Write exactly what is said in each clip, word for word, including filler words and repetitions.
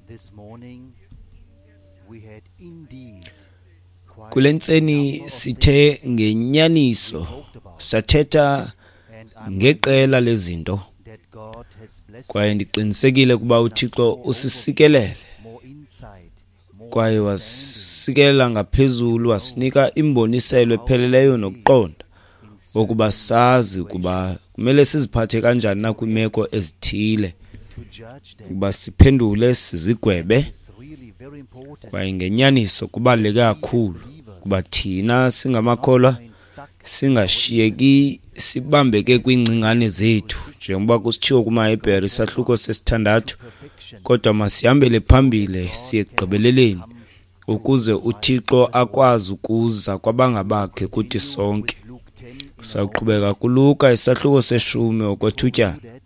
This morning we had indeed quite Kule a ntseni number of sithe things ngenyaniso we talked about, sathetha and I'm ngeqela lezinto, that God has blessed kwaye us, ndiqinisekile ukuba uThixo usisikelele more insight, more kwaye understanding wasikelela ngaphezulu, wasinika imboniselo epheleleyo nokuqonda in certain ukuba sazi ukuba kumele siziphathe kanjani na kwiimeko ezithile, to judge them ukuba siphendule sizigwebe. is really very important. Kwaye ngenyaniso kubaluleke kakhulu kuba thina singamakholwa Remain stuck singashiyeki sibambeke kwiingcingane zethu, njengoba kusitshiwo kumaHebhere isahluko sesithandathu, perfection kodwa masihambele phambili siye ekugqibeleleni ukuze uThixo akwazi ukuza kwabangabakhe kuthi sonke. Luke ten in a Sawuqhubeka kuLuka isahluko seshumi okwethutyana, that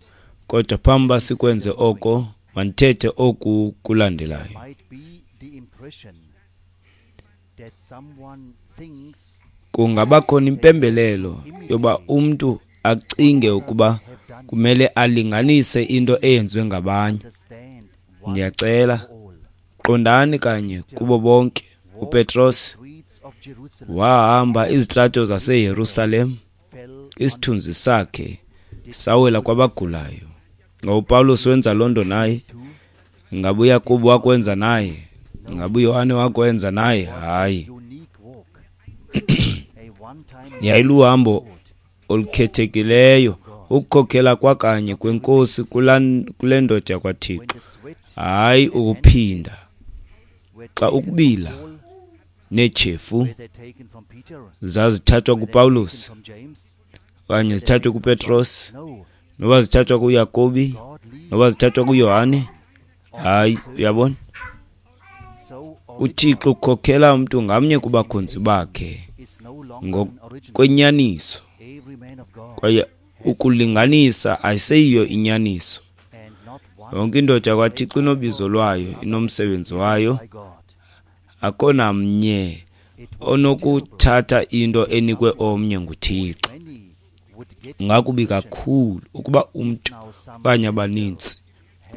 kodwa phambi uba sikwenze oko, mandithethe oku kulandelayo. might be the impression that someone thinks Kungaba khona impembelelo yoba umntu acinge ukuba kumele alinganise into eyenziwe ngabanye. understand once Ndiyacela, for all. qondani kanye kubo bonke. UPetros Streets of Jerusalem wahamba izitrato zaseYerusalem, fell on isithunzi sakhe sawela kwabagulayo. Ngaba uPawulos wenza loo nto naye? two Ingaba uYakobi wakwenza naye? Ingaba uYohane wakwenza naye? Hayi. unique walk, a one-time Yayiluhambo olukhethekileyo ukukhokhela kwakanye kweNkosi kula- kule ndoda when yakwaThixo, the sweat hayi ukuphinda. were Xa taken ukubila from Paul, neetshefu were they taken from Peter, zazithathwa were they taken kuPawulos from James? okanye zithathwe kuPetros, No, noba zithathwa kuYakobi, God leads noba zithathwa kuYohane. Hayi, uyabona, so uThixo ukhokhela umntu ngamnye kubakhonzi bakhe is no longer an original. ngokwenyaniso, Every man of God kwaye ukulinganisa ayiseyiyo inyaniso. and not one Yonke indoda yakwaThixo inobizo lwayo, inomsebenzi wayo. by God. Akho namnye onokuthatha into enikwe omnye nguThixo. Many would get Kungakubi kakhulu ukuba umntu now some okanye abanintsi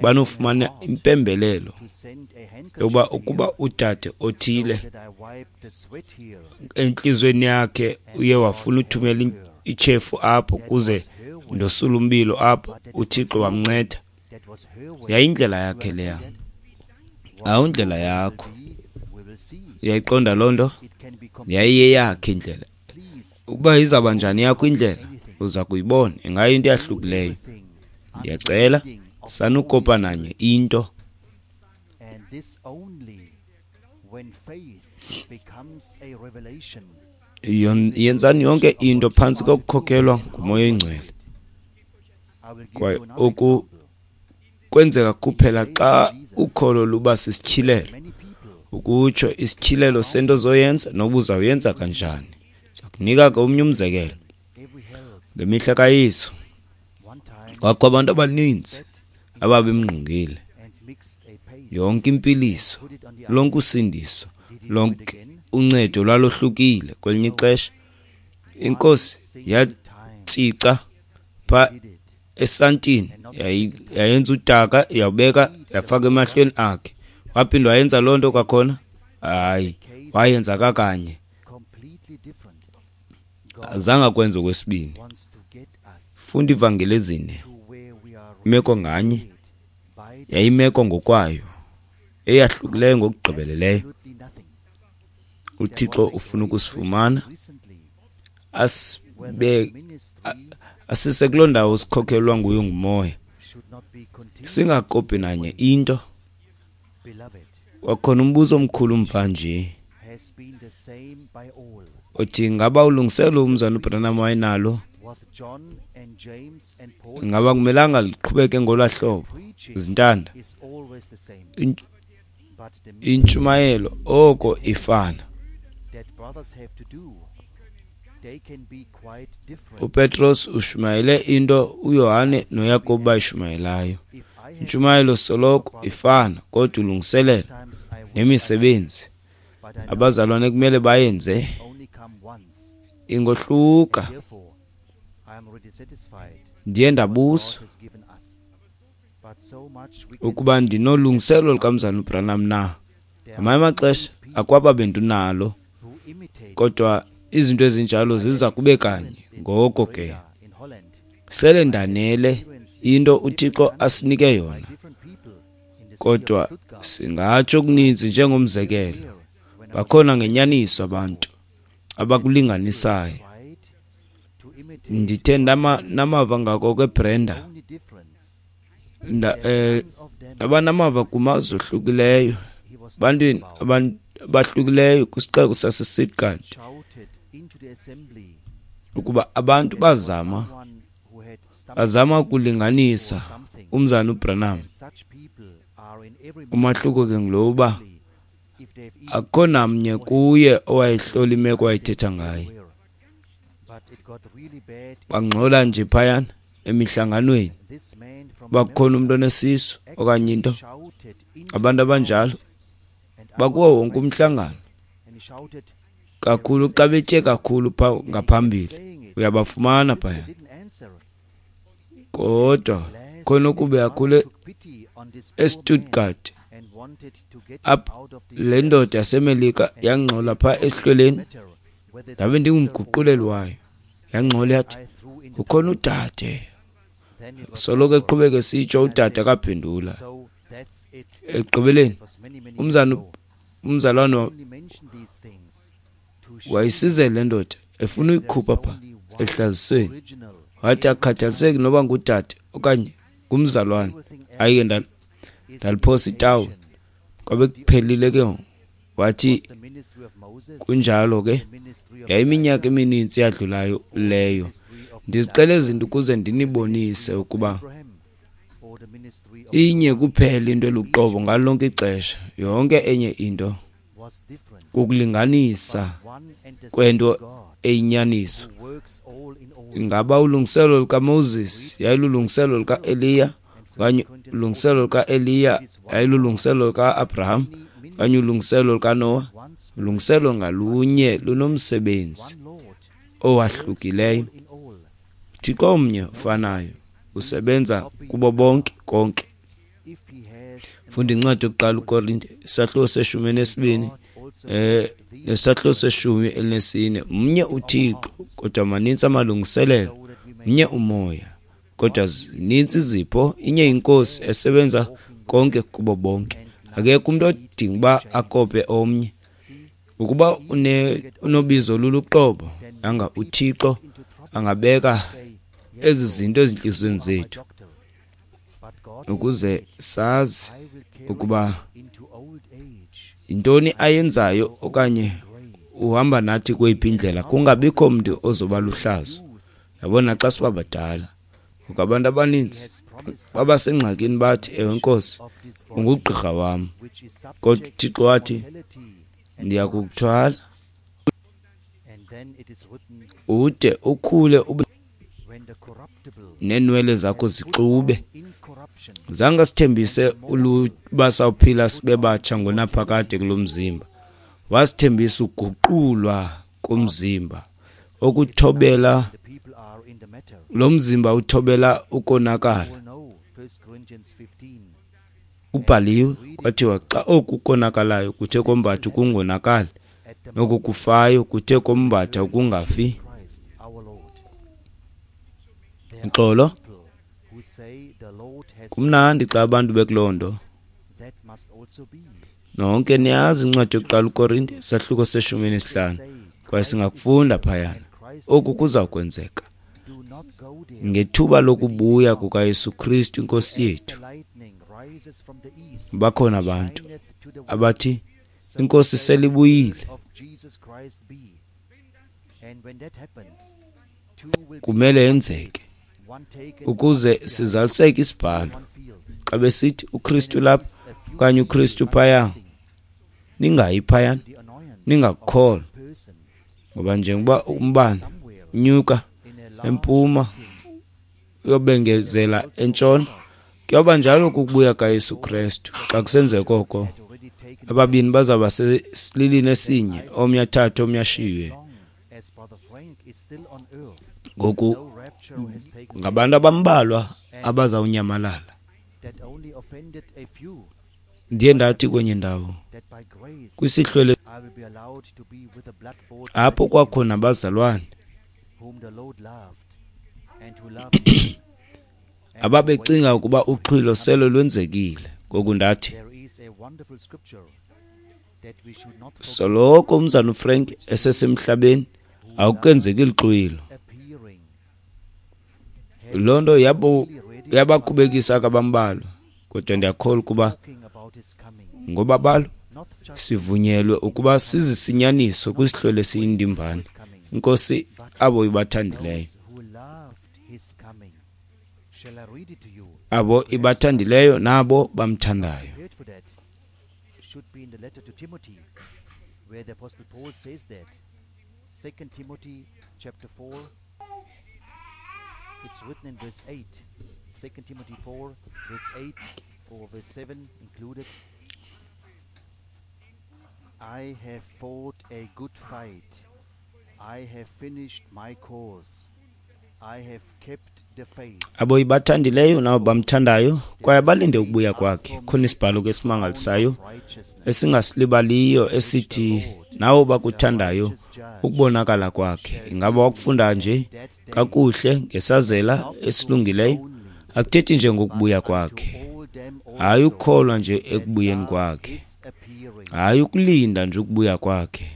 banofumana impembelelo to send a handkerchief yokuba ukuba udade othile that I wipe the sweat here. entliziyweni yakhe uye wafuna uthumela in- itshefu apho kuze ndosula umbilo apho, uThixo wamnceda. That was her way. Yayindlela yakhe leya, awundlela yakho. We will see. Uyayiqonda loo nto? It can be Yayiyeyakhe indlela. please Ukuba izawuba njani yakho indlela, uza kuyibona. Ingayinto eyahlukileyo. thing Ndiyacela sanukopa nanye into. and this only when faith becomes a revelation. Yon- Yenzani yonke into phantsi kokukhokelwa nguMoya oyiNgcwele. I will give Kwaye you another oku example. kwenzeka kuphela xa ukholo luba sisityhilelo, Many people ukutsho isityhilelo sento ozoyenza noba uzawuyenza kanjani. Ndiza kunika ke omnye umzekelo. every help Ngemihla kaYesu one time kwakho abantu abaninzi ababemngqongile. and mixed a paste Yonke impiliso, put it on the lonke usindiso, lonke uncedo lwalohlukile. Kwelinye ixesha inkosi yatsica pha did it esantini, yayi- yayenza udaka, yawubeka, yafaka emahlweni akhe. Waphinda wayenza loo nto kwakhona? Hayi, wayenza kakanye, completely different. azange akwenze okwesibini. Wants to get us Funda ivangeli ezine, to where we are imeko nganye led by the yayimeko ngokwayo eyahlukileyo ngokugqibeleleyo. absolutely nothing. uThixo ufuna ukusifumana Recently, asibe ministry asise kuloo ndawo sikhokhelwa nguyo ngumoya, should not be continued, singakopi nanye into. beloved, Kwakhona umbuzo omkhulu mva nje has been the same by all. othi ngaba ulungiselo umzana uBranham wayenalo What John and James and Paul ingaba kumelanga liqhubeke ngolaa hlobo? preaching Zintanda, is always the same, in- but the intshumayelo oko ifana. that brothers have to do, they can be quite different. uPetros ushumayele into uYohane noYakobi bayishumayelayo. If I have Intshumayelo soloko ifana, kodwa ulungiselela times I wish nemisebenzi I, but I know abazalwane kumele bayenze only come once. ingohluka. Therefore, I am already satisfied Ndiye what ndabuzwa God has given us. Ukuba ndinolungiselelo lukaMzalwana uBranham na. Ngamanye amaxesha akwaba bendinalo, kodwa izinto ezinjalo ziza kube kanye. Ngoko ke sele ndanele into uThixo asinike yona, kodwa singatsho okuninzi. Njengomzekelo, bakhona ngenyaniso abantu abakulinganisayo. Ndithe namava ngako kweBrenda, ndaba namava kumazwe ohlukileyo, ebantwini abahlukileyo kwisixeko saseStuttgart, ukuba abantu bazama bazama ukulinganisa uMzalwana uBranham. Umahluko ke ngulo uba akukho namnye kuye owayehlola imeko ayithetha ngayo. Bangxola nje phayana emihlanganweni, uba kukhona umntu onesisu okanye into. Abantu abanjalo bakuwo wonke umhlangano, kakhulu xa betye kakhulu pha ngaphambili, uyabafumana phaya. Kodwa khona ukube kakhulu eStuttgart, apho le ndoda yaseMelika yangxola pha esihlweleni, ndabe ndingumguquleli wayo. Yangxola yathi, ukhona udade. Soloko eqhubeka esitsho, udade akaphendula. Ekugqibeleni umzana umzalwane wayisizela le ndoda efuna uyikhupha pha ehlazisweni. Wathi akukhathaliseki noba ngudade okanye ngumzalwane. Hayi ke ndaliphosa itawuli, kwabe kuphelile ke ngoku. Wathi kunjalo ke, yayiminyaka emininzi yadlulayo leyo. Ndizixela izinto ukuze ndinibonise ukuba inye kuphela into eluqobo ngalo lonke ixesha. Yonke enye into kukulinganisa kwento eyinyaniso. Ingaba ulungiselelo lukaMoses yayilulungiselelo lukaEliya, okanye ulungiselelo lukaEliya yayilulungiselelo luka-Abraham, okanye ulungiselelo lukaNowa? Ulungiselelo ngalunye lunomsebenzi owahlukileyo. Thixo omnye ofanayo usebenza kubo bonke konke. Funda incwadi yokuqala uKorinte, isahluko seshumi elinesibini, eh nesahluko seshumi elinesine. Mnye uThixo, kodwa manintsi amalungiselelo. Mnye uMoya, kodwa zininzi izipho. Inye iNkosi esebenza konke kubo bonke. Akekho umuntu odinga uba akope omnye. Ukuba une unobizo luluqobo, anga uThixo angabeka ezi zinto ezintliziyweni zethu ukuze sazi ukuba yintoni ayenzayo okanye uhamba nathi kweyiphi indlela, kungabikho mntu ozoba luhlazo. Yabona, xa siba badala, ngoku abantu abaninzi babasengxakini bathi, ewe Nkosi, ungugqirha wam, kodwa uThixo wathi, ndiyakukuthwala ude ukhule ube neenwele zakho zixube. Zange asithembise uba sawuphila sibe batsha ngonaphakade kulo mzimba. Wasithembisa uguqulwa komzimba okuthobela lo mzimba uthobela ukonakala. Ubhaliwe kwathiwa xa oku konakalayo kuthe kombatha ukungonakali, noku kufayo kuthe kombatha ukungafi. Uxolo, kumnandi xa abantu bekuloo nto. Nonke niyazi incwadi yokuqala uKorinte, isahluko seshumi nesihlanu, kwaye singakufunda phayana. Oku kuza kwenzeka ngethuba lokubuya kukaYesu Kristu iNkosi yethu. Bakhona abantu abathi iNkosi selibuyile. Kumele yenzeke ukuze sizaliseke isibhalo. Xa besithi uKristu lapha okanye uKristu phaya, ningayi phayana, ningakukholwa. Ngoba njengoba umbane unyuka empuma uyobengezela entshona, kuyoba njalo kukubuya kaYesu Kristu. Xa kusenzeka oko, ababini bazawuba sesililini esinye, omnye athathe omnye ashiywe. Ngoku ngabantu abambalwa abazawunyamalala. Ndiye ndathi kwenye ndawo kwisihlwele apho kwakhona abazalwane ababecinga ukuba uxhwilo sele lwenzekile. Ngoku ndathi, soloko umzana uFrank esesemhlabeni akukenzeki lixhwilo. Loo nto yabo yabakhubekisa kabambalwa, kodwa ndiyakholwa ukuba ngoba balo sivunyelwe ukuba sizisinyaniso kwisihlwele esiyindimbane. Inkosi abo ibathandileyo, abo ibathandileyo nabo bamthandayo. It's written in verse eight, Second Timothy four, verse eight or verse seven included. I have fought a good fight. I have finished my course. I have kept the faith. Abo ibathandileyo nabo bamthandayo kwaye balinde ukubuya kwakhe. Khona isibhalo ke esimangalisayo esingasilibaliyo esithi nawo bakuthandayo ukubonakala kwakhe. Ingaba wakufunda nje kakuhle ngesazela esilungileyo? Akuthethi nje ngokubuya kwakhe, hayi ukukholwa nje ekubuyeni kwakhe, hayi ukulinda nje ukubuya kwakhe,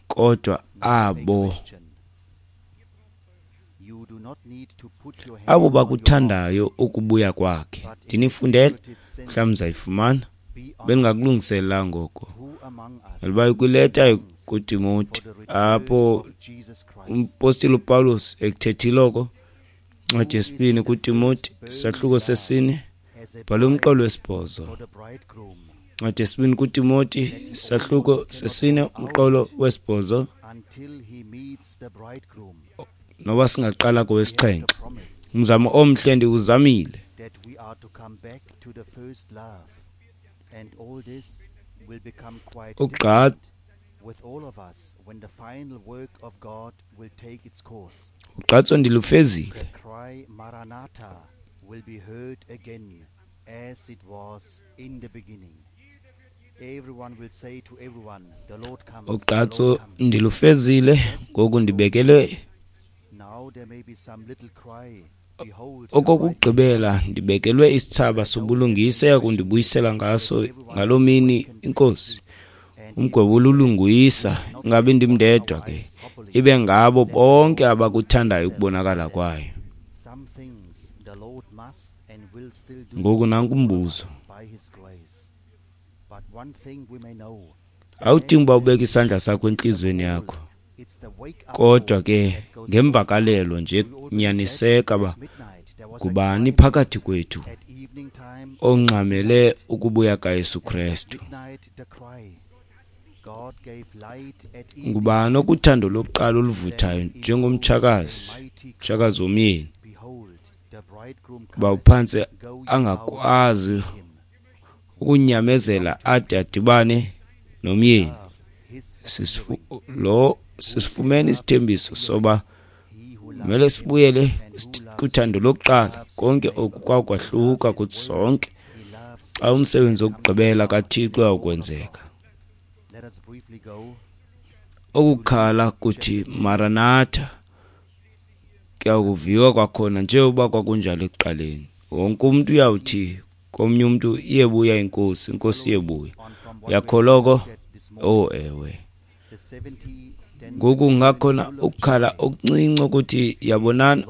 kodwa abo abo bakuthandayo ukubuya kwakhe. Ndinifundele, mhlawumbi nizayifumana, bendingakulungisela ngoko. Liba kwileta kuTimoti apho umpostile uPawulos ekuthethile oko, incwadi yesibini kuTimoti isahluko sesine, bhala umqolo wesibhozo. Incwadi yesibini kuTimoti isahluko sesine umqolo wesibhozo, noba singaqala kowesixhenxe. Umzamo omhle ndiwuzamile, ugqatso ugqatso ndilufezile. Ugqatso ndilufezile, ngoku ndibekele okokugqibela ndibekelwe isithsaba sobulungisa eyakundibuyisela ngaso ngaloo mini iNkosi. Umgwebo olulungisa, ingabi ndim ndedwa ke, ibe ngabo bonke abakuthandayo ukubonakala kwayo. Ngoku nanku umbuzo. Awudingi uba ubeke isandla sakho entliziyweni yakho, kodwa ke ngemvakalelo nje nyaniseka uba ngubani phakathi kwethu ongxamele ukubuya kaYesu Krestu. Ngubani okuthando lokuqala oluvuthayo njengomtshakazi, mtshakazi womyeni, uba uphantse angakwazi ukunyamezela ade adibane nomyeni. Lo sisifumene isithembiso soba kumele sibuyele kuthando lokuqala. Konke oku kwakwahluka kuthi sonke xa umsebenzi wokugqibela kaThixo uyawukwenzeka. Okukhala kuthi Maranatha kuyakuviwa kwakhona njengoba kwakunjalo ekuqaleni. Wonke umntu uyawuthi komnye umntu, iyebuya iNkosi, iNkosi iyebuya. Uyakholwa? Oh ewe. Ngoku kungakhona ukukhala okuncinci ukuthi yabonana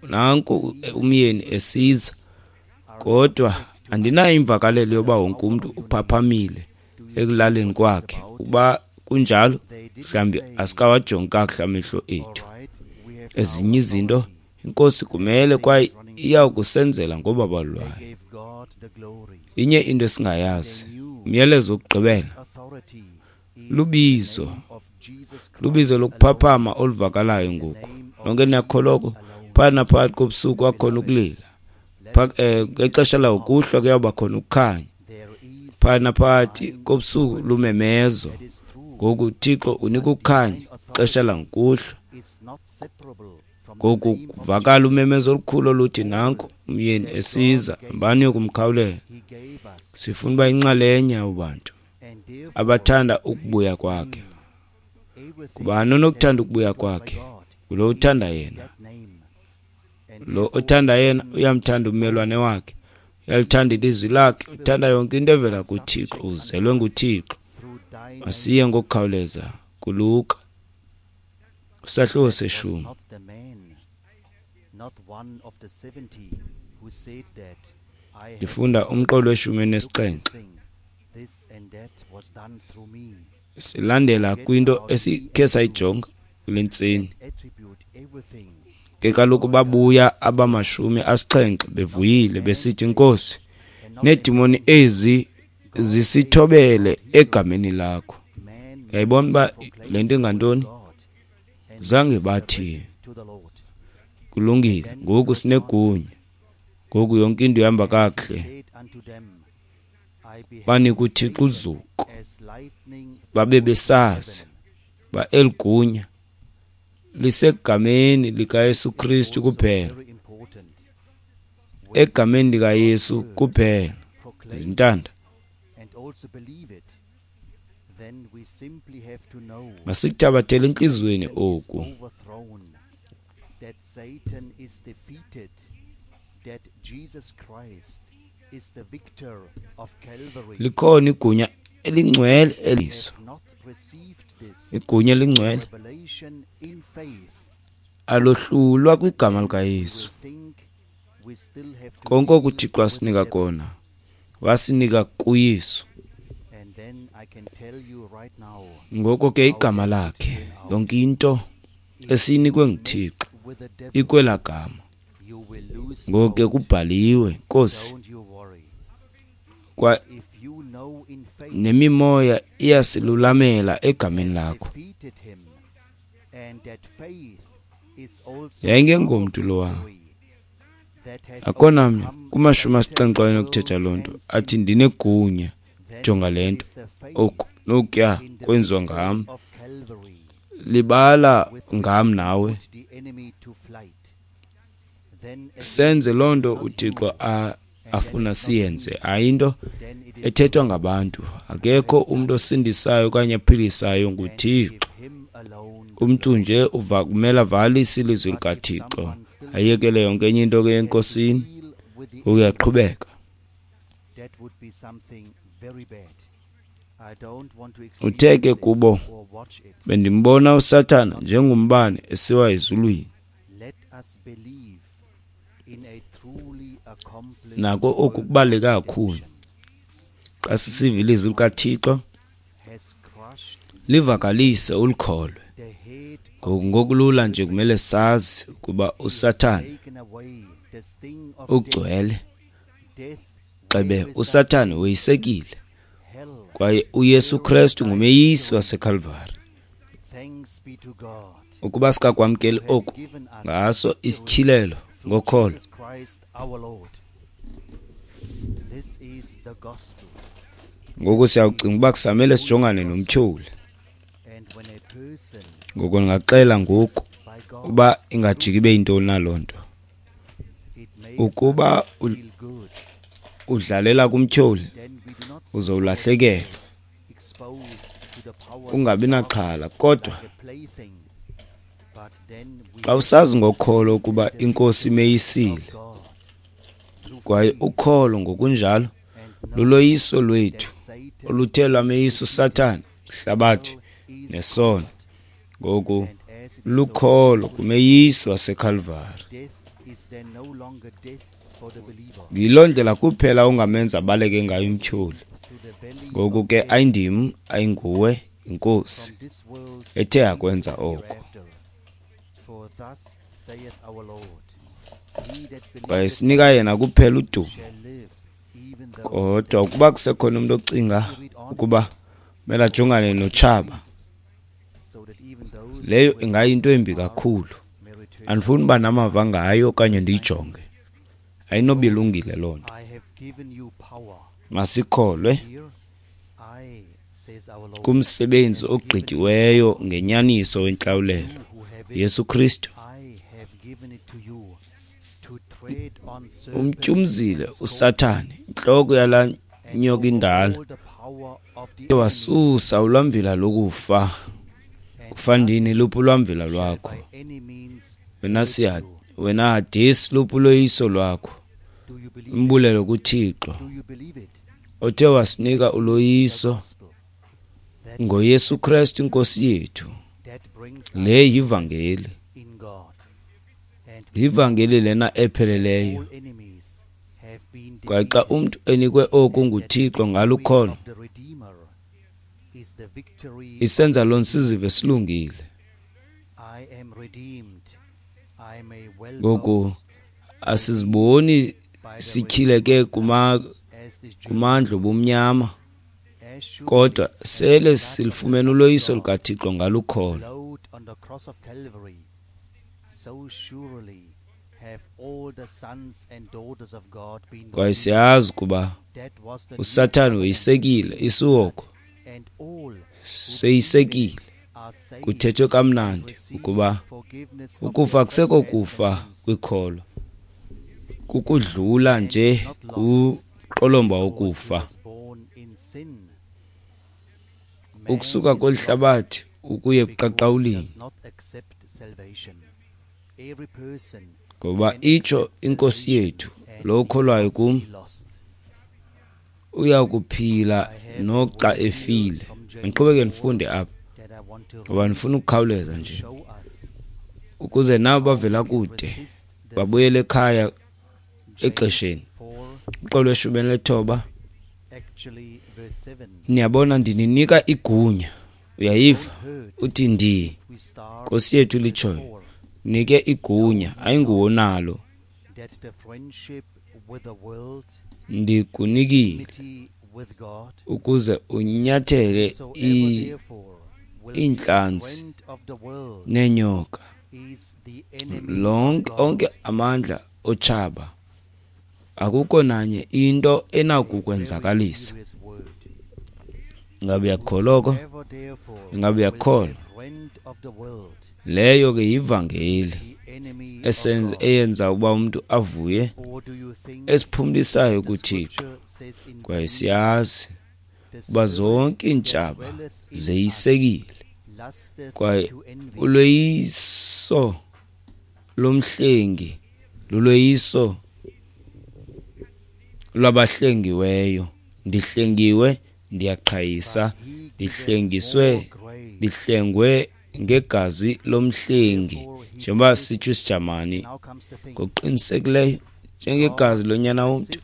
nanku umyeni esiza, kodwa andinayo imvakalelo yoba wonke umntu uphaphamile ekulaleni kwakhe. Ukuba kunjalo, mhlawumbi asikawajongi kakuhle amehlo ethu. Ezinye izinto iNkosi kumele kwaye iyakusenzela ngobabalo lwayo. Inye into esingayazi, umyalezo wokugqibela lubizo, lubizo lokuphaphama oluvakalayo ngoku. Nonke niyakholwa oko? Phakathi naphakathi kobusuku kwakhona ukulila, ngexesha langokuhlwa kuyawuba khona ukukhanya. Phakathi naphakathi kobusuku lumemezo. Ngoku uThixo unika ukukhanya xesha langokuhlwa. Ngoku kuvakala umemezo olukhulu oluthi nanku umyeni esiza, hambani yokumkhawulela. Sifuna uba inxalenye abo bantu abathanda ukubuya kwakhe. Ngubani onokuthanda ukubuya kwakhe? Ngulo uthanda yena. Lo othanda yena uyamthanda ummelwane wakhe, uyalithanda ilizwi lakhe, uthanda yonke into evela kuThixo, uzelwe nguThixo. Masiye ngokukhawuleza kuLuka isahluko seshumi. Ndifunda umqolo weshumi nesixhenxe. Silandela kwinto esikhe sayijonga kule ntseni. Ke kaloku babuya abamashumi asixhenxe bevuyile besithi, Nkosi, needimoni ezi zisithobele egameni lakho. Uyayibona uba le nto ingantoni? Zange bathi kulungile, ngoku sinegunya, ngoku yonke into ihamba kakuhle. Banika uThixo uzuko, babe besazi uba eli gunya lisegameni likaYesu Kristu kuphela, egameni likaYesu kuphela. Zintanda, masikuthabathele entliziyweni oku. Likhona igunya elingcwele eliso, igunya elingcwele alohlulwa kwigama likaYesu. Konke oku uThixo asinika kona, wasinika kuYesu. Ngoko ke igama lakhe, yonke into esiyinikwe nguThixo ikwela gama. Ngoko ke kubhaliwe, Nkosi, kwa nemimoya iyasilulamela egameni lakho. Yayingengomntu lowa, akho namnye kumashumi asixhenxe owenokuthetha loo nto athi ndinegunya, jonga le nto, oku nokuya kwenziwa ngam, libala ngam nawe. Senze loo nto uThixo afuna siyenze, ayinto ethethwa ngabantu. Akekho umntu osindisayo okanye aphilisayo, nguThixo. Umntu nje uva kumele avalise ilizwi likaThixo, ayekele yonke enye into ke enkosini, uyaqhubeka. Uthe ke kubo, bendimbona uSathana njengombane esiwa ezulwini. Nako oku kubaluleke kakhulu. Xa sisiva ilizwi likaThixo, livakalise ulikholwe. Ngoku ngokulula nje kumele sazi ukuba uSathana ugcwele. Xebe uSathana weyisekile, kwaye uYesu Kristu ngumeyisi waseKalvari. Ukuba sikakwamkeli oku ngaso isityhilelo ngokholo, ngoku siyawucinga uba kusamele sijongane nomtyholi. Ngoku ndingaxela ngoku uba ingajiki ibe yintoni na loo nto. Ukuba udlalela kumtyholi, uzowulahlekelwa, ungabi naxhala. Kodwa xa usazi ngokholo ukuba iNkosi imeyisile, kwaye ukholo ngokunjalo luloyiso lwethu oluthe lwameyisa uSathana, ihlabathi nesono. Ngoku lukholo kumeyisi waseKalvari. Yiloo ndlela kuphela ongamenza abaleke ngayo umtyholi. Ngoku ke ayindim, ayinguwe, iNkosi ethe yakwenza oko. Kwaye sinika yena kuphela udumo. Kodwa ukuba kusekhona umntu ocinga ukuba kumele ajongane notshaba, leyo ingayinto embi kakhulu. Andifuni uba namava ngayo okanye ndiyijonge. Ayinoba ilungile loo nto. Masikholwe kumsebenzi ogqityiweyo ngenyaniso wentlawulelo, Yesu Kristu. Umtyumzile uSathane, intloko yalaa nyoka indala, wasusa ulwamvila lokufa. Kufandini luphi ulwamvila lwakho? Wena siya, wena Hadesi, luphi uloyiso lwakho? Umbulelo kuThixo othe wasinika uloyiso ngoYesu Kristu iNkosi yethu. Le yivangeli, yivangeli lena epheleleyo. Kwaye xa umntu enikwe oku nguThixo ngalukholo, isenza loo sizive silungile. Ngoku asiziboni sityhileke kuma kumandla obumnyama, kodwa sele silifumene uloyiso lukaThixo ngalukholo. Kwaye siyazi ukuba uSathane woyisekile, isihogo seyisekile. Kuthethwe kamnandi ukuba ukufa kusekho kufa kwikholo, kukudlula nje kuqolomba wokufa. Ukusuka kweli hlabathi ukuya ebuqaqawulini, ngoba itsho iNkosi yethu, lo ukholwayo kum uya kuphila noxa efile. Ndiqhubeke ndifunde apha ngoba ndifuna ukukhawuleza nje, ukuze nabo bavela kude babuyele ekhaya exesheni. Uqolo lweshumi elinethoba, niyabona, ndininika igunya. Uyayiva? Uthi ndi Nkosi yethu litshoyo, nike igunya, ayinguwo nalo, ndikunikile ukuze unyathele iintlanzi neenyoka, lonke onke amandla otshaba, akukho nanye into enakukwenzakalisa. Ingabe uyakholwa oko? Ingabe uyakholwa? Leyo ke yivangeli esenza eyenza ukuba umuntu avuye, esiphumlisayo kuThixo. Kwaye siyazi ukuba zonke iintshaba zeyisekile, kwaye uloyiso lomhlengi luloyiso lwabahlengiweyo. Ndihlengiwe, ndiyaqhayisa, ndihlengiswe, ndihlengwe ngegazi lomhlengi, njengoba sitsho isiJamani, ngokuqinisekileyo njengegazi lonyana womntu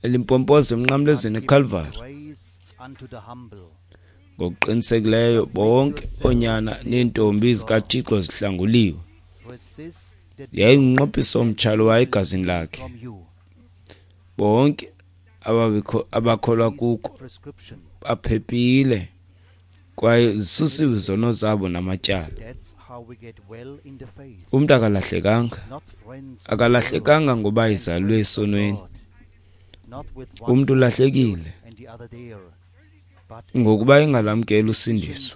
elimpompoza emnqamlezweni eKalvari. Ngokuqinisekileyo bonke oonyana neentombi zikaThixo zihlanguliwe. Yayingumnqophiso omtsha lowa egazini lakhe. Bonke abakholwa kuko baphephile kwaye zisusiwe izono zabo namatyala. Umntu akalahlekanga, akalahlekanga ngoba izalwe esonweni. Umntu ulahlekile ngokuba engalamkeli usindiso.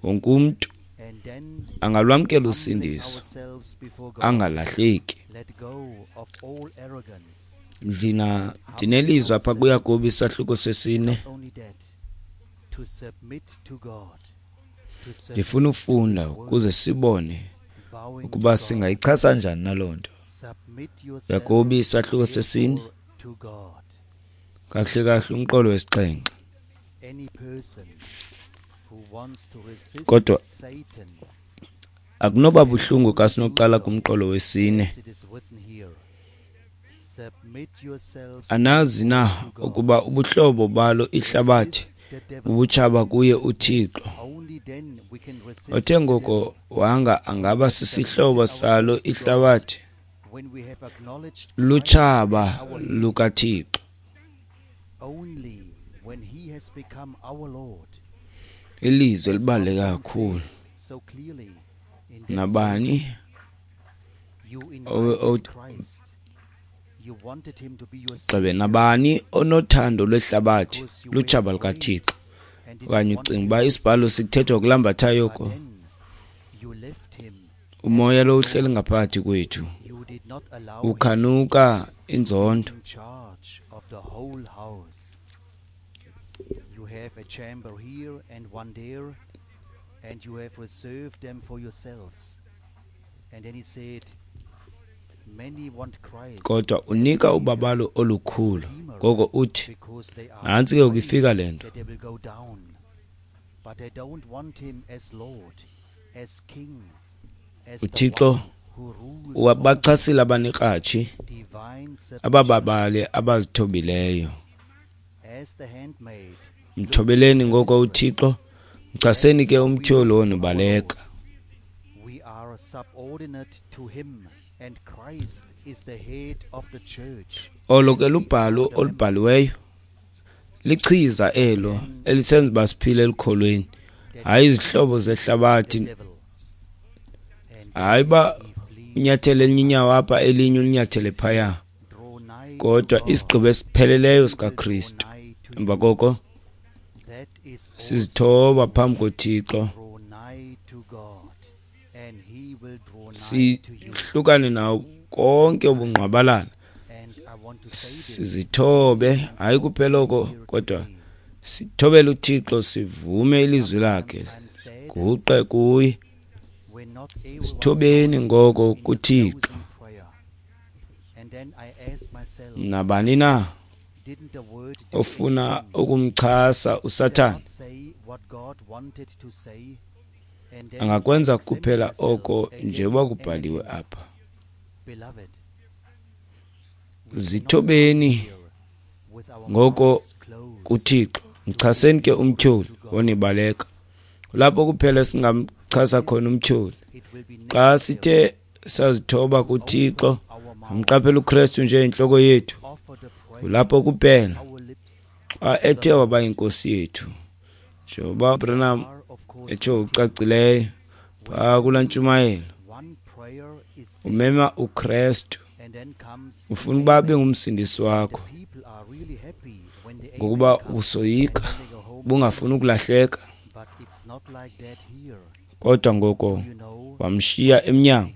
Wonke umntu angalwamkela usindiso, angalahleki. Ndina ndinelizwi apha kuYakobi isahluko sesine. Ndifuna ufunda ukuze sibone ukuba singayichasa njani naloo nto. Yakobi isahluko sesine, kahle kahle umqolo wesixhenxe. Kodwa akunoba buhlungu xa sinoqala kumqolo wesine. Anazi na ukuba ubuhlobo balo ihlabathi bubutshaba kuye uThixo? Othe ngoko wanga angaba sisihlobo salo ihlabathi, lutshaba lukaThixo. Ilizwi elibaluleke kakhulu. Nabani gxebe nabani onothando lwehlabathi lutshaba lukaThixo. Okanye ucinga uba isibhalo sikuthethwa kulambathayo oko? Umoya lo uhleli ngaphakathi kwethu. Ukhanuka inzondo. You have a chamber here and one there, and you have reserved them for yourselves. And then he said, many want Christ kodwa unika ubabalo olukhulu. Ngoko uthi, nantsi ke ukifika le nto. They will go down, but they don't want him as Lord, as King, as the uThixo one who rules wabachasile abanekratshi, divine submission, abababale abazithobileyo. As the handmaid Mthobeleni ngoko uThixo, mchaseni ke umtyholi wonubaleka. We are subordinate to him, and Christ is the head of the church. Olo ke lubhalo olubhaliweyo, lichiza elo elisenza uba siphile elukholweni, hayi izihlobo zehlabathi, hayi uba unyathele elinye inyawo apha elinye ulinyathele phaya, kodwa isigqibo esipheleleyo sikaKristu. Emva koko sizithoba phambi koThixo, sihlukane nawo konke ubungqwabalala, sizithobe, hayi kuphela oko, kodwa sithobele uThixo, sivume ilizwi lakhe, siguqe kuye. Sithobeni ngoko kuThixo. Nabani na ofuna ukumchasa uSathane angakwenza kuphela oko njengoba kubhaliwe apha. Zithobeni ngoko kuThixo, mchaseni ke umtyholi wonibaleka. Lapho kuphela singamchasa khona umtyholi, xa sithe sazithoba kuThixo, amqaphela uKristu njengentloko yethu. Kulapho kuphela xa ethe waba yinkosi yethu, njengoba Branham etsho ucacileyo phaa kulaa ntshumayelo, umema uKristu, ufuna ukuba abe ngumsindisi wakho, ngokuba usoyika ubungafuni ukulahleka. Kodwa ngoko wamshiya emnyango,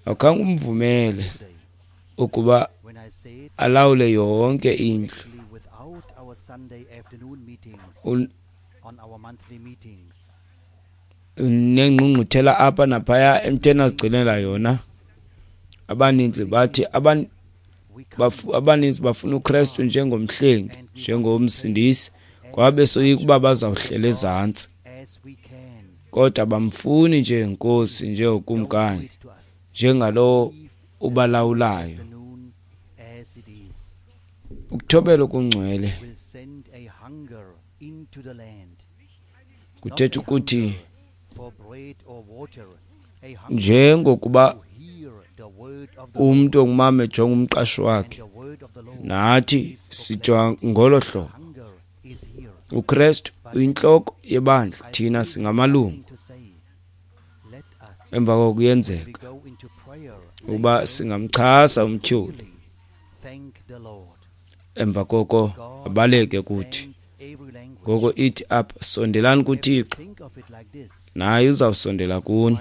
akhange umvumele ukuba alawule yonke indlu. Unengqungquthela apha naphaya emtheni azigcinela yona. Abaninzi bathi aban, bafu, abaninzi bafuna uKristu njengomhlengi, njengomsindisi, kwabe soyika uba bazawuhlela ezantsi. Kodwa bamfuni njengenkosi, njengokumkani, njengalowo ubalawulayo. Ukuthobela okungcwele kuthetha ukuthi njengokuba umntu ongumama ejonga umqashi wakhe, nathi sijonga ngolo hlobo. uKristu uyintloko yebandla, thina singamalungu. Emva koko kuyenzeka ukuba singamchasa umtyholi, emva koko abaleke kuthi. Ngoko ithi apha, sondelani kuThixo, naye uzawusondela kuni.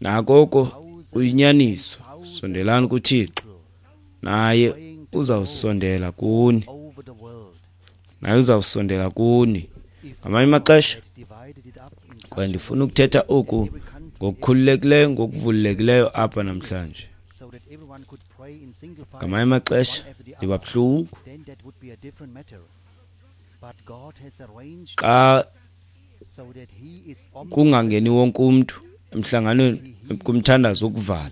Nakoko kuyinyaniso, sondelani kuThixo, naye uzawusondela kuni. Naye uzawusondela kuni. Ngamanye amaxesha kwaye ndifuna ukuthetha oku ngokukhululekileyo, ngokuvulekileyo apha namhlanje. Ngamanye amaxesha ndiba buhlungu xa kungangeni wonke umntu emhlanganweni kumthandazo wokuvala.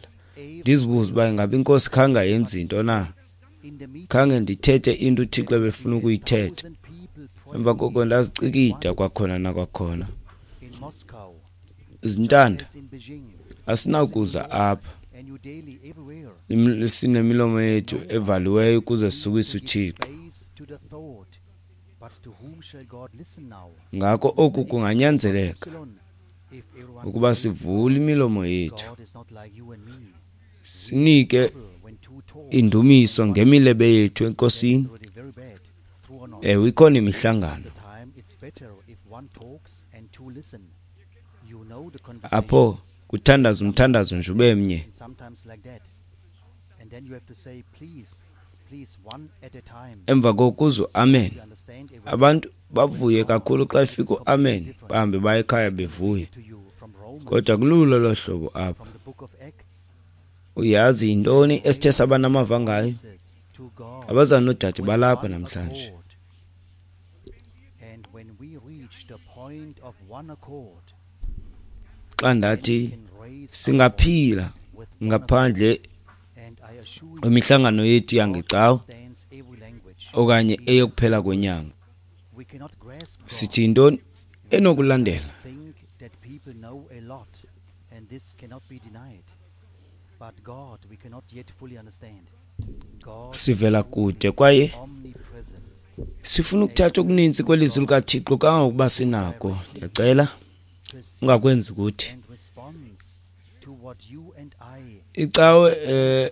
Ndizibuze uba ingaba inkosi khange ayenze into na, khange ndithethe into uThixo ebefuna ukuyithetha. Emva koko ndazicikida kwakhona nakwakhona. Izintanda asinakuza apha sinemilomo yethu evaliweyo ukuze sisukise uThixo. Ngako oku kunganyanzeleka ukuba sivule imilomo yethu, sinike indumiso ngemilebe yethu enkosini. Ewe, ikhona imihlangano apho Kuthandaza umthandazo nje ube mnye. Emva kokuzwa amen, abantu bavuye kakhulu xa efika uamen, bahambe baye ekhaya bevuya. Kodwa kululo lolo hlobo apha. Uyazi yintoni esithe saba namava ngayo? Abazali noodade balapha namhlanje. Xa ndathi singaphila ngaphandle kwemihlangano yethu yangecawa okanye eyokuphela kwenyanga, sithi yintoni enokulandela? Sivela kude kwaye sifuna ukuthatha okuninzi kwelizwi likaThixo kangangokuba sinako. Ndiyacela ungakwenzi kuthi. Icawe eh,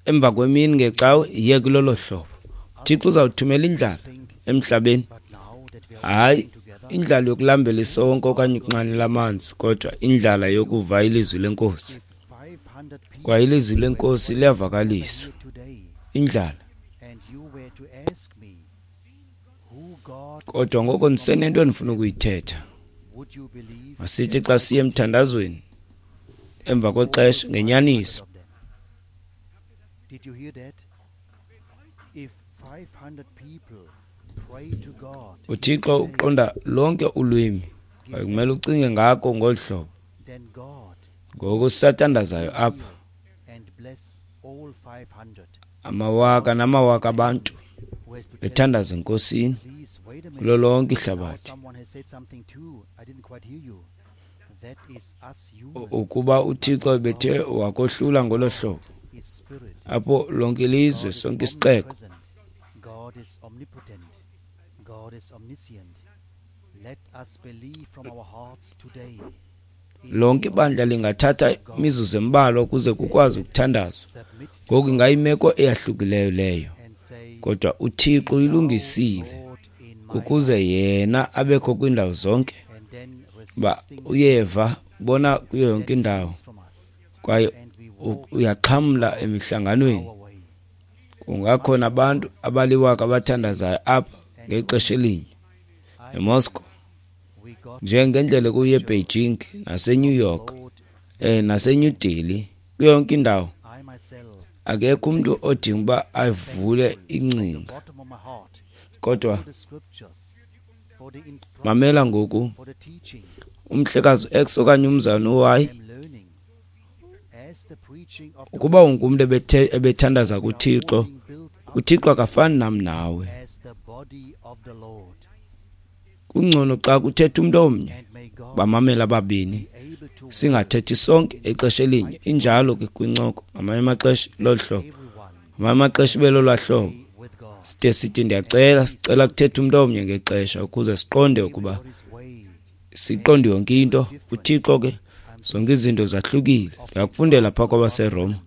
emva kwemini ngecawe iye kulolo hlobo. uThixo uzawuthumela indlala emhlabeni, hayi indlala yokulambela isonka okanye ukunxanela amanzi, kodwa indlala yokuva ilizwi lenkosi. Kwaye ilizwi lenkosi liyavakaliswa. Indlala. Kodwa ngoko ndisenento endifuna ukuyithetha. Masithi xa siye emthandazweni emva kwexesha ngenyaniso. uThixo uqonda lonke ulwimi, kwaye kumele ucinge ngako ngolu hlobo. Ngoku sisathandazayo apha, amawaka namawaka abantu bethandaza enkosini kulo lonke ihlabathi. Ukuba uThixo bethe wakohlula ngolo hlobo, apho lonke ilizwe, sonke isixeko, lonke ibandla lingathatha imizuzu embalwa ukuze kukwazi ukuthandazwa. Ngoku ingayimeko eyahlukileyo leyo, kodwa uThixo uyilungisile ukuze yena abekho kwiindawo zonke. Ba uyeva bona kuyo yonke indawo, kwaye uyaxhamla emihlanganweni. Kungakhona abantu abaliwaka abathandazayo apha ngexesha elinye eMoscow, njengendlela kuye eBeijing naseNew York eh naseNew Delhi, kuyo yonke indawo. Akekho umuntu odinga uba avule ingcinga, kodwa mamela ngoku, umhlekazi X okanye umzana Y, ukuba ungumntu ebethandaza kuThixo, uThixo akafani nam nawe. Kungcono xa kuthetha umntu omnye, bamamela ababini, singathethi sonke ixesha elinye. Injalo ke kwincoko, ngamanye amaxesha lolu hlobo, ngamanye amaxesha ibe lolwaa hlobo. Side sithi ndiyacela, sicela kuthetha umntu omnye ngexesha ukuze siqonde ukuba siqonde yonke into. UThixo ke zonke izinto zahlukile. Ndiyakufundela phaa kwabaseRoma,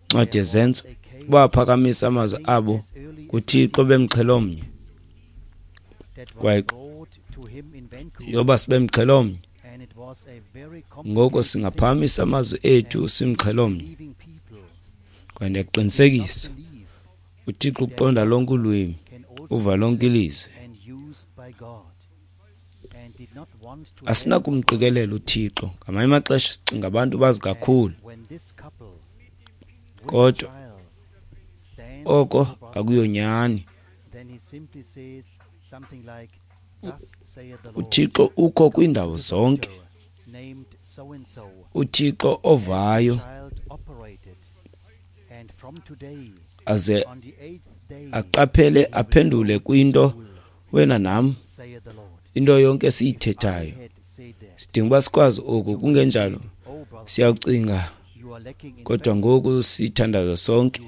incwadi yeZenzo, baphakamisa amazwi abo kuThixo bemxhelomnye, kwaye yoba sibemxhelomnye, ngoko singaphakamisa amazwi ethu simxhelomnye. Kwaye ndiyakuqinisekisa, uThixo uqonda lonke ulwimi, uva lonke ilizwi. Asinakumqikelela uThixo. Ngamanye amaxesha sicinga abantu bazi kakhulu, kodwa oko akuyonyani. uThixo ukho kwiindawo zonke. uThixo ovayo aze aqaphele aphendule kwinto wena nam, into yonke esiyithethayo. Sidinga uba sikwazi oku, kungenjalo siyawucinga, kodwa ngoku sithandaza sonke.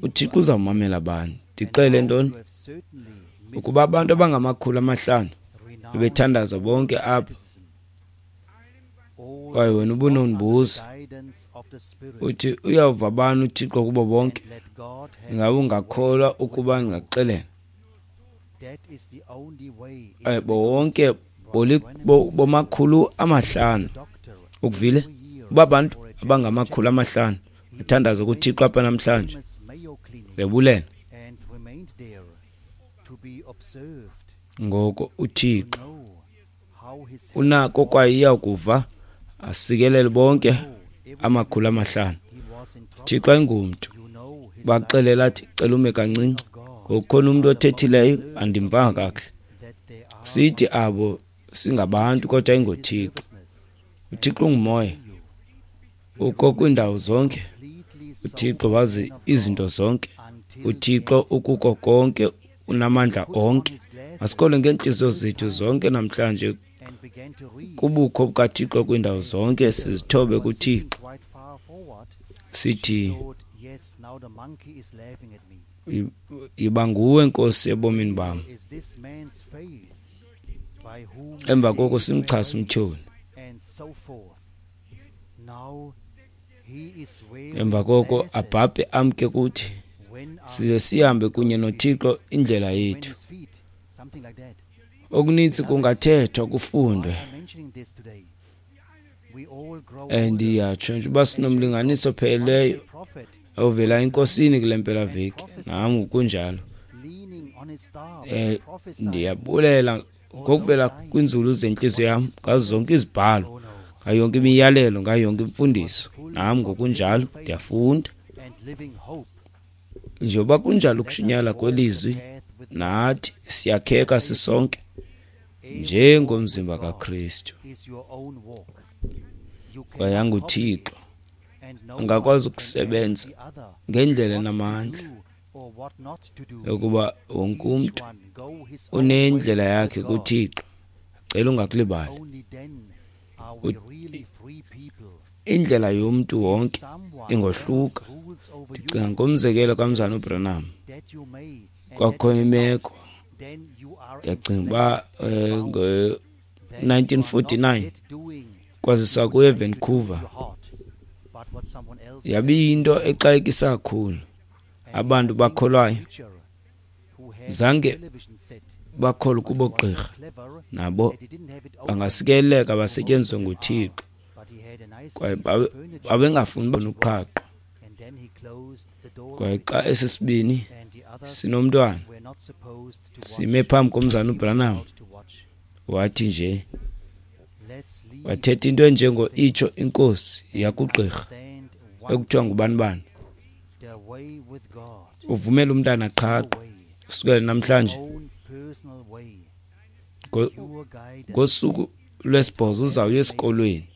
uThixo uzawumamela abantu. Ndixele ntoni? Ukuba abantu abangamakhulu amahlanu bebethandaza bonke apha, kwaye wena ubunondibuza uthi uyawuva bani uThixo kubo bonke, ingabe ungakholwa ukuba ndingakuxelela? Eh, bonke bomakhulu amahlanu Ukuvile uba abantu abangamakhulu amahlanu bathandaza kuThixo apha namhlanje bebulela. Ngoko uThixo unako kwaye iyakuva asikelele bonke amakhulu amahlanu. Thixo ayingumntu baxelela athi cela ume kancinci, ngokukhona umntu othethileyo andimvanga kakuhle. Sithi abo singabantu kodwa ayingoThixo. UThixo ungumoya, ukho kwiindawo zonke. UThixo wazi izinto zonke. UThixo ukuko konke, unamandla onke. Masikholwe ngeentliziyo zethu zonke namhlanje kubukho bukaThixo kwiindawo zonke, sizithobe kuThixo. Sithi yiba nguwe Nkosi ebomini bam. Emva koko simchase umtyholi. Emva koko abhabhe amke kuthi, size sihambe kunye noThixo indlela yethu. Okuninzi kungathethwa kufundwe. Ndiyatsho nje uba sinomlinganiso opheleleyo ovela eNkosini kule mpelaveki, nam kunjalo. Eh ndiyabulela ngokuvela kwinzulu zentliziyo yam ngazo zonke izibhalo, ngayo yonke imiyalelo, ngayo yonke imfundiso. Nam ngokunjalo ndiyafunda. Njengoba kunjalo ukushunyayelwa kwelizwi, nathi siyakheka sisonke njengomzimba kaKristu. Kwaye nguThixo angakwazi ukusebenza ngendlela enamandla yokuba wonke umntu unendlela yakhe kuThixo. Cela ungakulibali, indlela yomntu wonke ingohluka. Ndicinga ngomzekelo kaMzana uBranham, kwakukhona imeko, ndiyacinga uba ngo-nineteen forty-nine kwaziswa kuye eVancouver. Yabiyinto exakekisa kakhulu. Abantu bakholwayo zange bakholwa kubo gqirha, nabo bangasikeleka basetyenziswe nguThixo, kwaye babengafuni bona uqhaqho. Kwaye xa esi sibini sinomntwana sime phambi komzana uBranham, wathi nje wathetha into enjengo itsho inkosi yakugqirha ekuthiwa ngubani bani, uvumela umntana qhaqho kusukela namhlanje ngosuku lwesibhozo uzawuya esikolweni,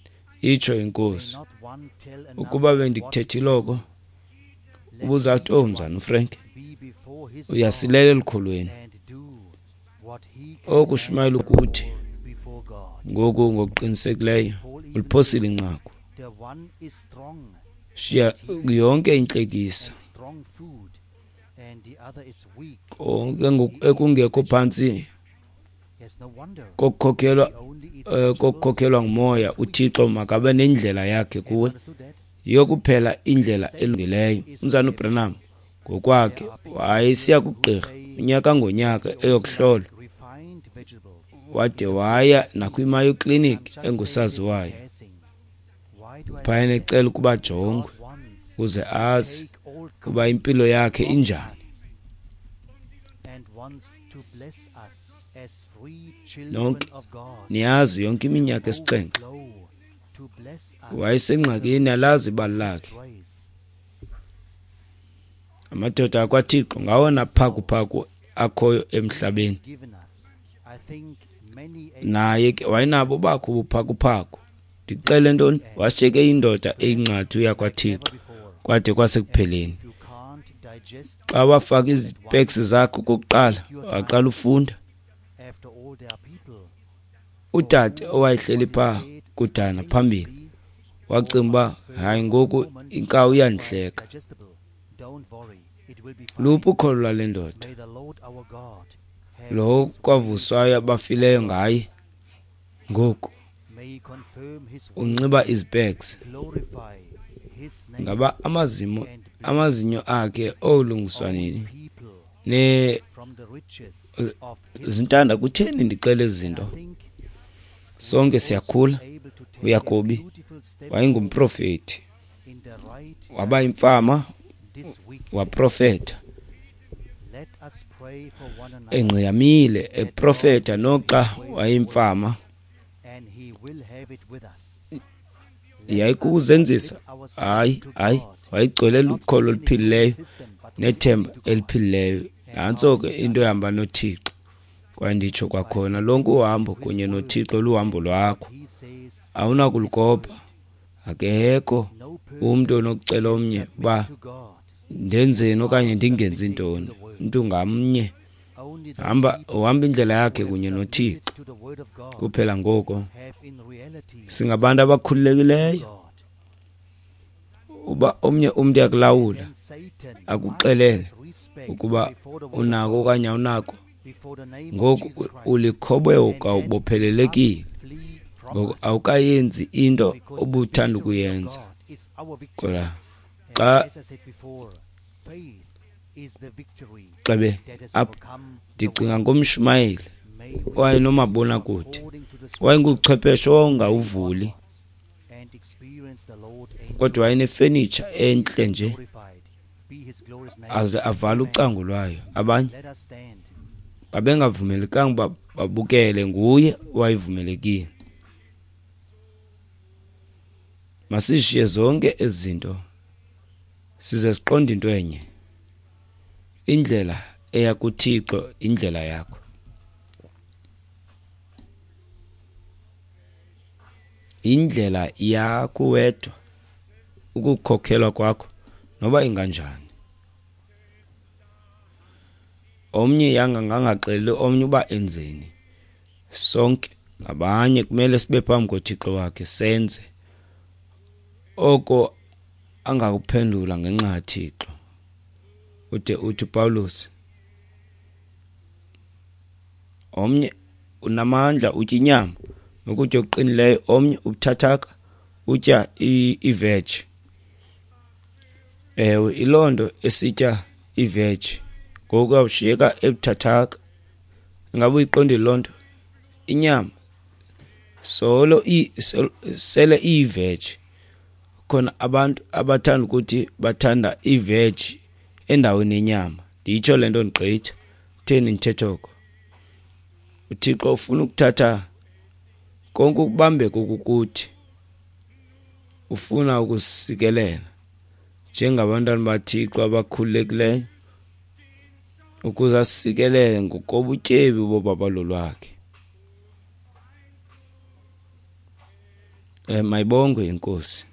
itsho inkosi. Ukuba bendikuthethile oko, ubuzawuthi oh mzana uFrank uyasilela elukholweni. Okushumayela ukuthi ngoku ngokuqinisekileyo uliphosile inqaku. Shiya yonke intlekisa, konke ekungekho phantsi kokukhokhelwa kokukhokhelwa ngumoya. uThixo makabe nendlela yakhe kuwe, yiyo kuphela indlela elungileyo. Umzana uBranham ngokwakhe wayesiya kugqirha unyaka ngonyaka eyokuhlola, wade waya nakwiMayo Clinic engusaziwayo phayana ecela ukuba ajongwe ukuze azi uba impilo yakhe injani. Nonke niyazi yonke iminyaka esixhenxe wayesengxakini, alazi ibali lakhe. Amadoda akwaThixo ngawona phakuphaku akhoyo emhlabeni. Naye ke wayenabo bakho ubuphakuphaku. Ndixele ntoni, washiyeke indoda eyingcathu yakwaThixo kwade kwasekupheleni. Xa wafaka izipeks zakhe okokuqala, waqala ufunda. Udade owayehleli phaa kudana phambili wacinga uba hayi ngoku inkawu iyandihleka. Luphi ukholo lwale ndoda, lo kwavuswayo abafileyo ngaye, ngoku unxiba izipeks. Ngaba amazimo amazinyo akhe olungiswa nini? Ne zintanda kutheni ndixele izinto? Sonke siyakhula. UYakobi wayengumprofeti, waba yimfama, waprofeta engqiyamile, eprofeta noxa wayeyimfama. Yayikukuzenzisa? Hayi, hayi, wayegcwele lukholo oluphilileyo nethemba eliphilileyo. Nantso ke into ehamba noThixo. Kwaye nditsho kwakhona, lonke uhambo kunye noThixo luhambo lwakho, awunakulukopha. Akekho umntu onokucela omnye uba ndenzeni okanye ndingenzi ntoni. Umntu ngamnye hamba uhamba indlela yakhe kunye noThixo kuphela. Ngoko singabantu abakhululekileyo. Uba omnye umntu uyakulawula akuxelele ukuba unako okanye awunako, ngoku ulikhoboka, ubophelelekile. Ngoku awukayenzi into obuthanda ukuyenza. Kodwa xa xebe apha ndicinga ngomshumayeli owayenomabonakude, wayenguchwepheshe owawungawuvuli, kodwa wayenefenitsha entle nje, aze avale ucango lwayo. Abanye babengavumelekanga uba babukele, nguye owayevumelekile. Masishiye zonke ezi zinto size siqonde into enye: indlela eya kuThixo indlela yakho. Indlela yakho wedwa, ukukhokhelwa kwakho noba inganjani. Omnye yanga ngangaxeleli omnye uba enzeni. Sonke ngabanye kumele sibe phambi koThixo wakhe, senze oko angakuphendula ngenxa kaThixo. Ude uthi Paulus, omnye unamandla utya inyama nokutya okuqinileyo, omnye ubuthathaka utya i-veg. Ewe, iloo nto esitya i-veg ngoku uyawushiyeka ebuthathaka. Ingaba uyiqondile loo nto? Inyama solo sele iyi-veg. Khona abantu abathanda ukuthi bathanda i-veg endaweni yenyama. Ndiyitsho le nto ndigqitha. Kutheni ndithetha oko? UThixo ufuna ukuthatha konke ukubambeka okukuthi, ufuna ukusikelela njengabantwana baThixo abakhululekileyo, ukuze asikelele ngokobutyebi bobabalo lwakhe. Eh, mayibongwe iNkosi.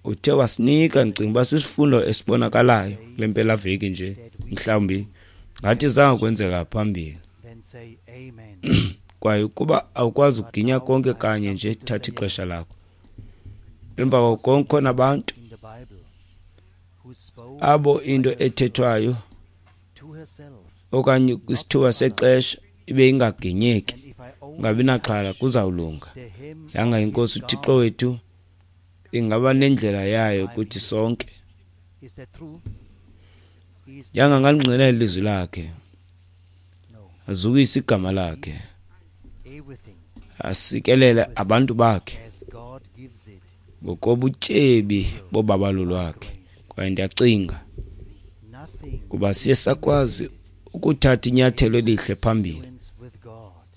Uthe wasinika, ndicinga uba sisifundo esibonakalayo kule mpelaveki nje, mhlawumbi ngathi zange kwenzeka phambili. Kwaye ukuba awukwazi ukuginya konke kanye nje, thatha ixesha lakho. Emva kwako konke khona abantu abo into ethethwayo okanye kwisithuba sexesha ibe ingaginyeki, ungabi naxhala, kuzawulunga. Yanga iNkosi uThixo wethu ingaba nendlela yayo kuthi sonke. Yanga ngalingqina ilizwi lakhe, azukise igama lakhe, asikelele abantu bakhe ngokobutyebi bobabalo lwakhe. Kwaye ndiyacinga kuba siye sakwazi ukuthatha inyathelo elihle phambili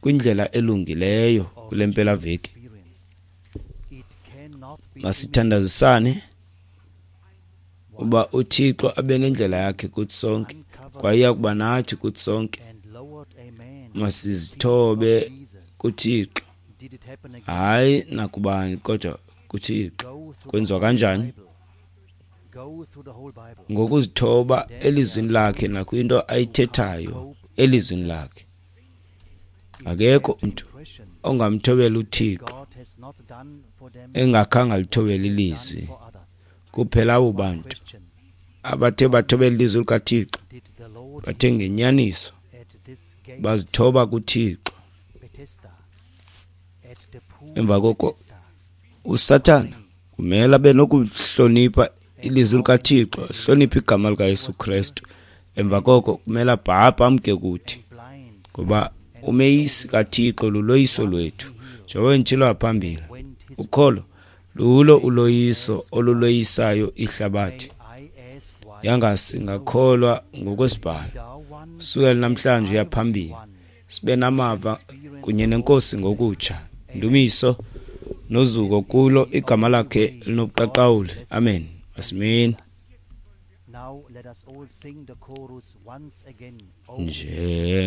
kwindlela elungileyo kule mpelaveki. Masithandazisane uba uThixo abe nendlela yakhe kuthi sonke, kwaye iya kuba nathi kuthi sonke. Masizithobe kuThixo, hayi nakubani, kodwa kuThixo. Kwenziwa kanjani? Ngokuzithoba elizwini lakhe nakwinto ayithethayo elizwini lakhe. Akekho umntu ongamthobela uThixo engakhange alithobele ilizwi. Kuphela abo bantu abathe bathobela ilizwi likaThixo, bathe ngenyaniso bazithoba kuThixo. Emva koko uSathana kumele abe nokuhlonipha ilizwi likaThixo, ahloniphe igama likaYesu Kristu. Emva koko kumele abhabhe amke kuthi, ngoba Umeyisi kaThixo luloyiso lwethu. Njengoba nditshilo phambili, ukholo lulo uloyiso oluloyisayo ihlabathi. Yanga singakholwa ngokwesibhalo sukela namhlanje uya phambili, sibe namava kunye nenkosi ngokutsha. Ndumiso nozuko kulo igama lakhe linobuqaqawuli. Amen. Asimeni.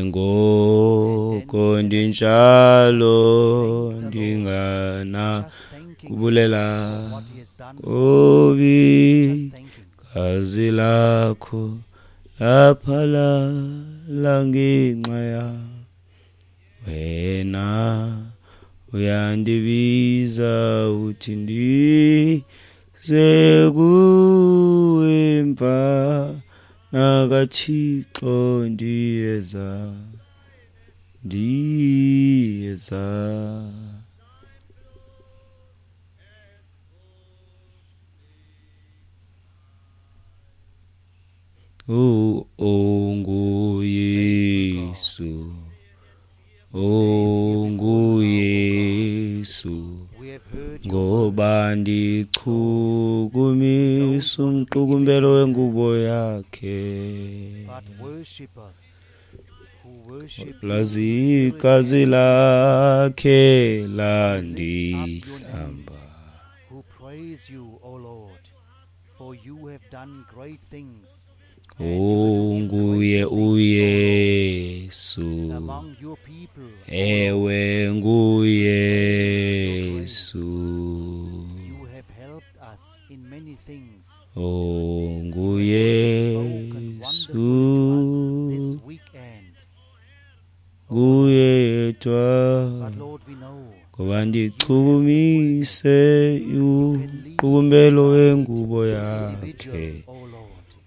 Njengoko ndinjalo ndingana kubulela kobi gazi lakho laphalala ngenxa yam. Wena uyandibiza uthi ndize kuwe mfana kaThixo, ndiyeza, ndiyeza. Oh, onguYesu, onguYesu, ngoba ndichukumisa umqukumbelo wengubo yakhe. Lazi igazi lakhe landihlamba. Unguye uYesu, ewe nguYesu, onguYesu, nguye yedwa, ngoba ndichukumise umqukumbelo wengubo yakhe.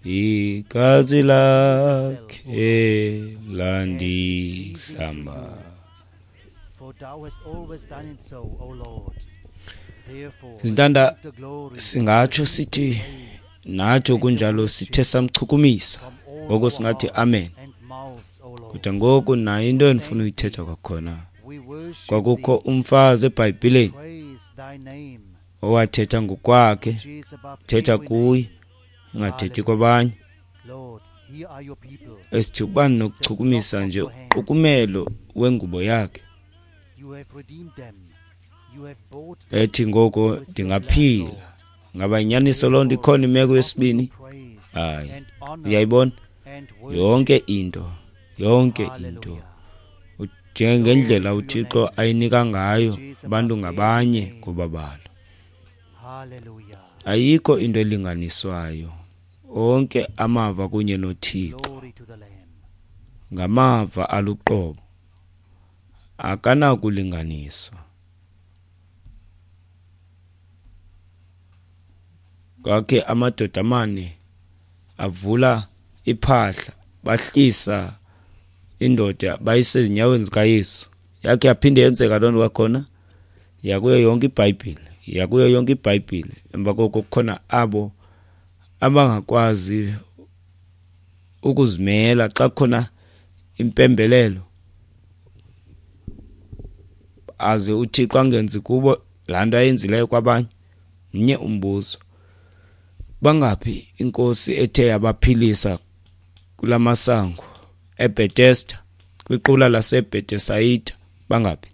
Igazi lakhe landihlamba. Zintanda, singatsho sithi nathi kunjalo sithe samchukumisa, ngoko singathi amen. Kodwa ngoku nayo into endifuna uyithetha kwakhona. Kwakukho umfazi eBhayibhileni owathetha ngokwakhe, thetha kuye, ingathethi kwabanye. Esithi ukuba nokuchukumisa nje uqukumelo wengubo yakhe, ethi ngoko ndingaphila. Ngaba inyaniso loo nto ikhona imeko yesibini? Hayi, uyayibona yonke into, yonke into njengendlela uThixo ayinika ngayo abantu ngabanye ngobabalo. Ayikho into elinganiswayo. Onke amava kunye noThixo ngamava aluqobo, akanakulinganiswa. Kwakhe amadoda amane avula iphahla, bahlisa indoda bayise ezinyaweni zikaYesu. Yakhe yaphinde yenzeka loo nto kwakhona. Yakuyo yonke iBhayibhile, yakuyo yonke iBhayibhile. Emva koko kukhona abo abangakwazi ukuzimela xa kukhona impembelelo, aze uThixo angenzi kubo laa nto ayenzileyo kwabanye. Mnye umbuzo, bangaphi inkosi ethe yabaphilisa kula masango eBethesda, kwiqula laseBethesayida? Bangaphi?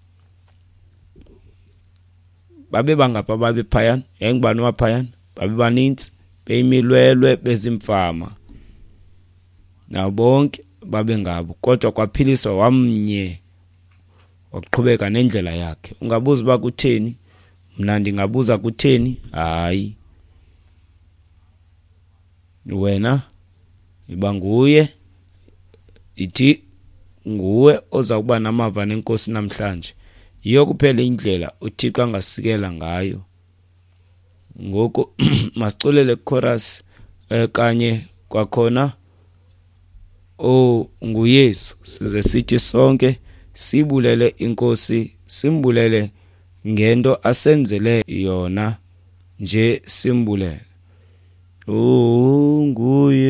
Babe bangaphi ababe phayana? Yayingubani waphayana? Babe banintsi, beyimilwelwe, bezimfama, nabo bonke babe ngabo, kodwa kwaphiliswa wamnye waqhubeka nendlela yakhe. Ungabuza uba kutheni? Mna ndingabuza kutheni? Hayi, wena iba nguye, ithi nguwe oza kuba namava nenkosi namhlanje. Yiyo kuphela indlela uThixo angasikela ngayo. Ngoku masiculele chorus kanye kwakhona, oh nguYesu, size sithi sonke sibulele inkosi, simbulele ngento asenzele yona nje, simbulele. Oh nguYesu,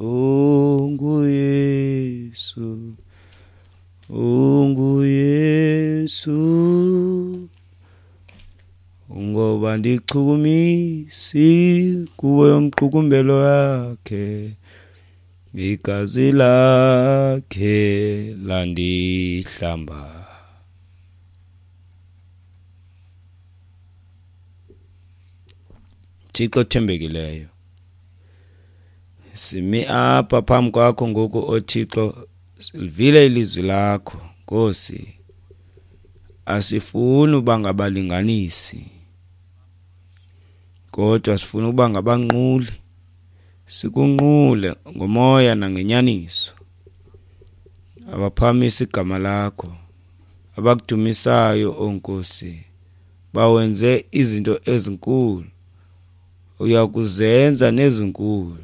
oh nguYesu, Ungu Yesu ngoba ndichukumisi kuwe umqukumbelo wakhe igazi lakhe landihlamba. Thixo othembekileyo, simi apha phambi kwakho ngoku, oThixo, silivile ilizwi lakho Nkosi. Asifuni uba ngabalinganisi, kodwa sifuna uba ngabanquli, sikunqule ngomoya nangenyaniso, abaphakamisa igama lakho, abakudumisayo, o Nkosi, bawenze izinto ezinkulu, uyakuzenza nezinkulu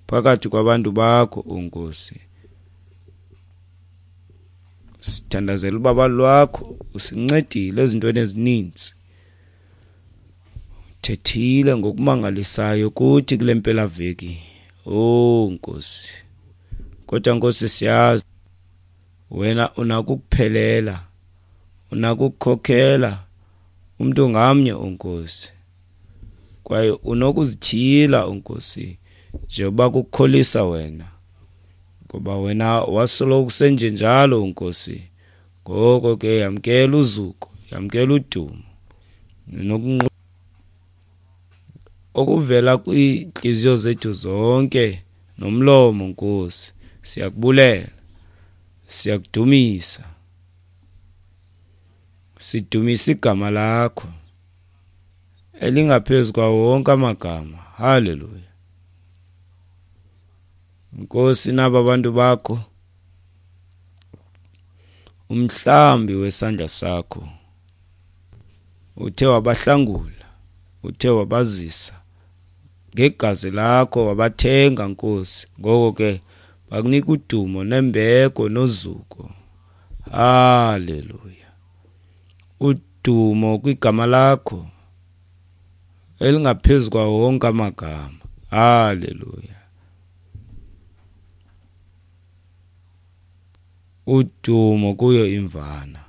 phakathi kwabantu bakho, o Nkosi. Sithandazela ubaba lwakho, usincedile ezintweni ezininzi, uthethile ngokumangalisayo kuthi kule mpelaveki, o Nkosi. Kodwa Nkosi, siyazi wena unako ukuphelela, unako ukukhokhela umntu ngamnye, o Nkosi, kwaye unokuzityhila, o Nkosi, njengoba kukukholisa wena, ngoba wena wasoloko kusenjenjalo, Nkosi. Ngoko ke yamkela uzuko, yamkela udumo nokunqu okuvela kwiintliziyo zethu zonke nomlomo, Nkosi. Siyakubulela, siyakudumisa, sidumisa igama lakho elingaphezu kwawo wonke amagama. Haleluya. Nkosi, naba abantu bakho, umhlambi wesandla sakho, uthe wabahlangula, uthe wabazisa ngegazi lakho, wabathenga, Nkosi. Ngoko ke bakunika udumo nembeko nozuko. Haleluya. Udumo kwigama lakho elingaphezu kwawo wonke amagama. Haleluya. Udumo kuyo imvana.